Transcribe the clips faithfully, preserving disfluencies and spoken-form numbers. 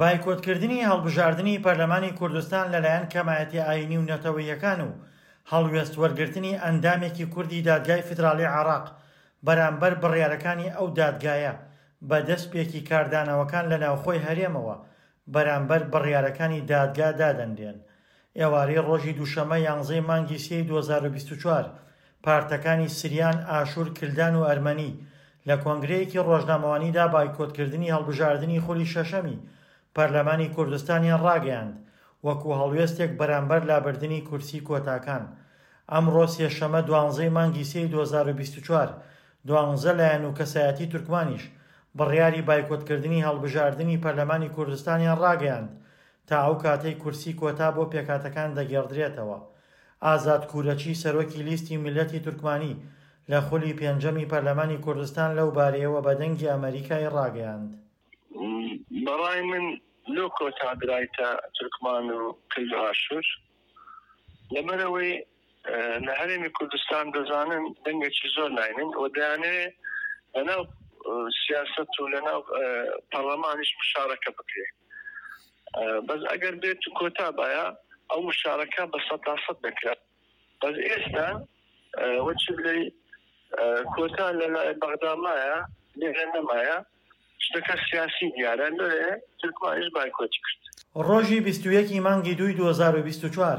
بایکۆتکردنی هەڵبژاردنی پەرلەمانی کوردستان لەلایەن کەمایەتیە ئایینی و نەتەوەییەکان و هەڵوێست وەرگرتنی ئەندامێکی کوردی دادگای فیدراڵی عێراق بەرامبەر بڕیارەکانی ئەو دادگایە بە دەستپێکی کاردانەوەکان لە ناوخۆی هەرێمەوە بەرامبەر بڕیارەکانی دادگا دادەنرێن. ئێوارەی ڕۆژی دووشەممە یانزەی مانگی سێی دوو هەزار و بیست و چوار پارتەکانی سریان، ئاشور، کلدان و ئەرمەنی لە کۆنگرەیەکی ڕۆژنامەوانیدا بایکۆتکردنی هەڵبژاردنی خولی شەشەمی پەرلەمانی کوردستانیان ڕاگەیاند وەکو هەڵوێستێک بەرامبەر لابردنی کورسی کۆتاکان. ئەمڕۆ سێشەممە دوانزەی مانگی سێی دوو هەزار و بیست و چوار دوانزە لایەن و کەسایەتی تورکمانیش بڕیاری بایکۆتکردنی هەڵبژاردنی پەرلەمانی کوردستانیان ڕاگەیاند تا ئەو کاتەی کورسی کۆتا بۆ پێکهاتەکان دەگێڕدرێتەوە. ئازاد کورەچی سەرۆکی لیستی میللەتی تورکمانی لە خولی پێنجەمی پەرلەمانی کوردستان لەو بارەیەوە بە دەنگی ئەمەریکای ڕاگەیاند. بەڕای من لۆ کۆتا درایتە تورکمان و کلد و ئاشور لەبەرئەوەی لە هەرێمی کوردستان دەزانن دەنگێکی زۆر ناینن و دەیانەوێ لەناو سیاسەت و لەناو پەرلەمانیش مشارەکە بکرێ. بەس ئەگەر بێت و کۆتا باە ئەو مشارەکە بە سەد تا سەد دەکرا. بەس ئێستا وەچی بڵێ کۆتا لە لای بەغدا مایە، لێرە نەمایە، شتەکە سیاسی دیارە، لێ تورکمانیش بایکۆتی کرد. ڕۆژی بیست و یەک ی مانگی دووی دوو هەزار و بیست و چوار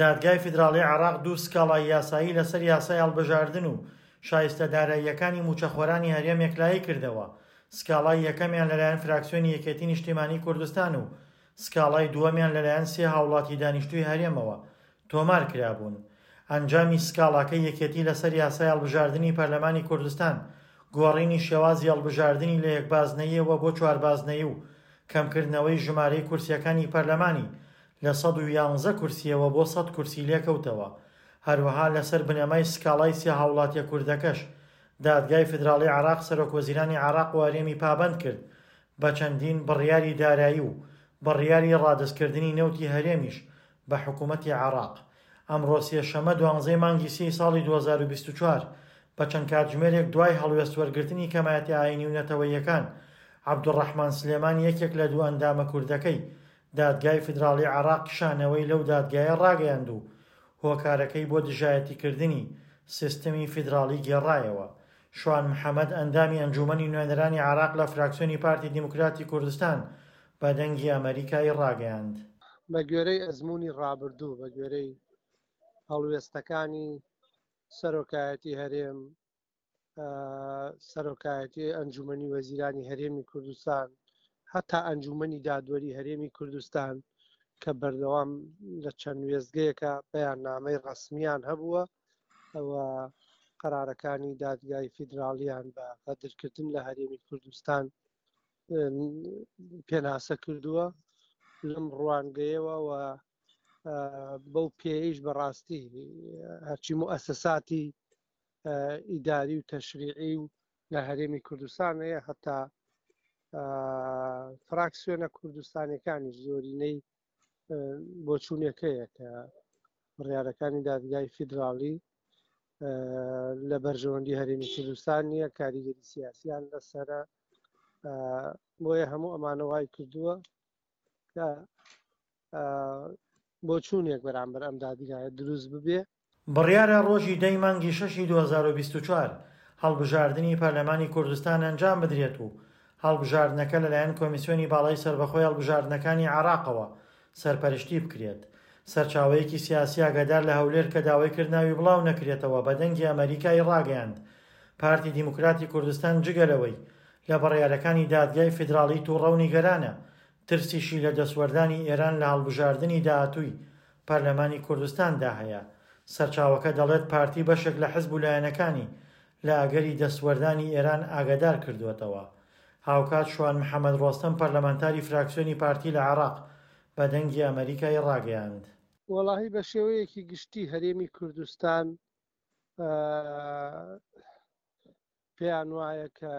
دادگای فیدراڵی عێراق دوو سکاڵای یاسایی لەسەر یاسای هەڵبژاردن و شایستە داراییەکانی مووچەخۆرانی هەرێم یەکلایی کردەوە، سکاڵای یەکەمیان لەلایەن فراکسیۆنی یەکێتی نیشتیمانی کوردستان و سکاڵای دووەمیان لەلایەن سێ هاوڵاتی دانیشتووی هەرێمەوە تۆمار کرابوون. ئەنجامی سکاڵاکەی یەکێتی لەسەر یاسای هەڵبژاردنی پەرلەمانی کوردستان، گۆڕینی شێوازی هەڵبژاردنی لە یەک بازنەییەوە بۆ چوار بازنەیی و کەمکردنەوەی ژمارەی کورسییەکانی پەرلەمانی لە سەد و یانزە کورسییەوە بۆ سەد کورسی لێکەوتەوە. هەروەها لەسەر بنەمای سکاڵای سێ هاوڵاتیە کوردەکەش، دادگای فیدراڵی عێراق سەرۆکوەزیرانی عێراق و هەرێمی پابەند کرد بە چەندین بڕیاری دارایی و بڕیاری ڕادەستکردنی نەوتی هەرێمیش بە حکومەتی عێراق. ئەمڕۆ سێشەممە دوانزەی مانگی سێی ساڵی دوو هەزار و بیست و چوار بە چەند کاتژمێرێک دوای هەڵوێست وەرگرتنی کەمایەتیە ئایینی و نەتەوەییەکان، عەبدولڕەحمان سلێمان یەکێک لە دوو ئەندامە کوردەکەی دادگای فیدراڵی عێراق کشانەوەی لەو دادگایە ڕاگەیاند و هۆکارەکەی بۆ دژایەتیکردنی سیستمی فیدراڵی گێڕایەوە. شوان محەمەد ئەندامی ئەنجوومەنی نوێنەرانی عێراق لە فراکسیۆنی پارتی دیموکراتی کوردستان بە دەنگی ئەمەریکای ڕاگەیاند. بە گوێرەی ئەزموونی ڕابردوو، بە گوێرەی هەڵوێستەکانی سەرۆکایەتی هەرێم، سەرۆکایەتی ئەنجومەنی وەزیرانی هەرێمی کوردستان، هەتا ئەنجومەنی دادوەری هەرێمی کوردستان کە بەردەوام لە چەند وێستگەیەکە بەیاننامەی ڕەسمیان هەبووە و قەرارەکانی دادگای فیدراڵیان بە غەدرکردن لە هەرێمی کوردستان پێناسە کردووە. لەم ڕوانگەیەوە و بەو پێیش بەڕاستی هەرچی موئەسەساتی ئیداری و تەشریعی و لە هەرێمی کوردستان هەیە، هەتا فراکسیۆنە کوردستانەکانی زۆرینەی بۆچوونەکەیە کە بڕیارەکانی دادگای فیدراڵی لە بەرژەوەندی هەرێمی کوردستان نییە، کاریگەری سیاسیان لەسەرە. بۆیە هەموو ئەمانە وای کردووە کە بۆچوونێک بەرامبەر ئەم دادگایە دروست ببێ. بڕیارە ڕۆژی دە ی مانگی شەشی دوو هەزار و بیست و چوار هەڵبژاردنی پەرلەمانی کوردستان ئەنجام بدرێت و هەڵبژاردنەکە لەلایەن کۆمیسیۆنی باڵای سەربەخۆی هەڵبژاردنەکانی عێراقەوە سەرپەرشتی بکرێت. سەرچاوەیەکی سیاسی ئاگادار لە هەولێر کە داوای کرد ناوی بڵاو نەکرێتەوە بە دەنگی ئەمەریکای ڕاگەیاند پارتی دیموکراتی کوردستان جگە لەوەی لە بڕیارەکانی دادگای فیدراڵی توڕە و نیگەرانە، ترسیشی لە دەستوەردانی ئێران لە هەڵبژاردنی داهاتووی پەرلەمانی کوردستاندا هەیە. سەرچاوەکە دەڵێت پارتی بەشێک لە حزب و لایەنەکانی لە ئەگەری دەستوەردانی ئێران ئاگادار کردووەتەوە. هاوکات شوان محەمەد ڕۆستەم پەرلەمانتاری فراکسیۆنی پارتی لە عێراق بە دەنگی ئەمەریکای ڕاگەیاند. وەڵاهی بە شێوەیەکی گشتی هەرێمی کوردستان پێیان وایە کە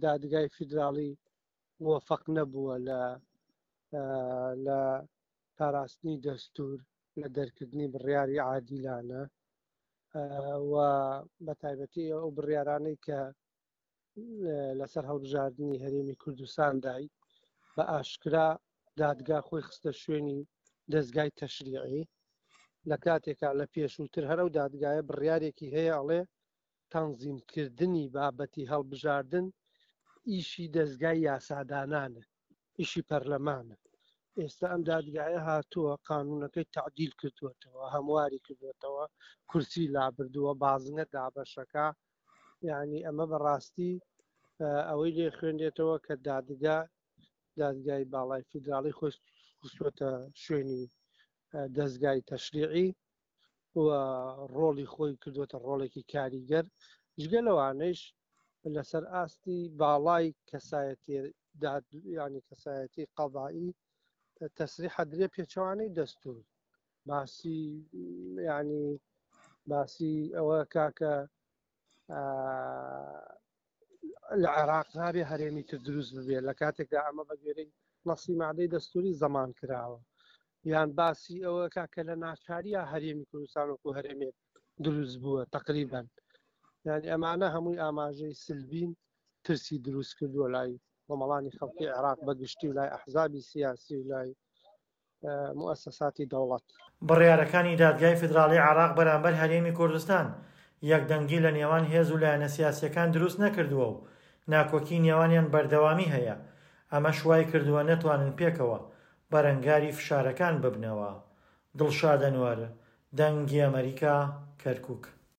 دادگای فیدراڵی موفق نەبووە لە لە پاراستنی دەستور، لە دەرکردنی بڕیاری عادیلانە و بە تایبەتی ئەو بڕیارانەی کە لەسەر هەڵبژاردنی هەرێمی کوردستان دای. بە ئاشکرا دادگا خۆی خستە شوێنی دەزگای تەشریعی، لە کاتێکا لە پێشووتر هەر ئەو دادگایە بڕیارێکی هەیە ئەڵێ تەنزیمکردنی بابەتی هەڵبژاردن ئیشی دەزگای یاسادانانە، ئیشی پەرلەمانە. ئێستا ئەم دادگایە هاتووە قانونەکەی تعدیل کردووەتەوە، هەمواری کردووەتەوە، کورسی لابردووە، بازنە دابەشەکە. یعنی ئەمە بەڕاستی ئەوەی لێ خوێندێتەوە کە دادگا دادگای باڵای فیدراڵی خۆی خستووەتە شوێنی دەزگای تەشریعی و ڕۆڵی خۆی کردووەتە ڕۆڵێکی کاریگەر. جگە لەوانەیش لەسەر ئاستی باڵای کەسایەتی ینی کەسایەتی قەضایی تەسریحە درێ پێچەوانەی دەستور، باسی ینی باسی ئەوە کاکە لە عێراق نابێ هەرێمی تر دروست ببێت، لە کاتێکدا ئەمە بە گوێرەی نەسی مادەی دەستوری زەمان کراوە. یان باسی ئەوە کاکە لە ناچاریە هەرێمی کوردستان وەکو هەرێمێک دروست بووە تقریبا. یعنی ئەمانە هەمووی ئاماژەی سلبین ترسی دروست کردووە لای کۆمەڵانی خەڵکی عێراق بەگشتی و لای ئەحزابی سیاسی و لای موئەسەساتی دەوڵەت. بڕیارەکانی دادگای فیدراڵی عێراق بەرامبەر هەرێمی کوردستان یەکدەنگی لە نێوان هێز و لایەنە سیاسیەکان دروست نەکردووە و ناکۆکی نێوانیان بەردەوامی هەیە، ئەمەش وای کردووە نەتوانن پێکەوە بەرەنگاری فشارەکان ببنەوە. دڵشاد ئەنوەر، دەنگی ئەمەریکا، کەرکوک.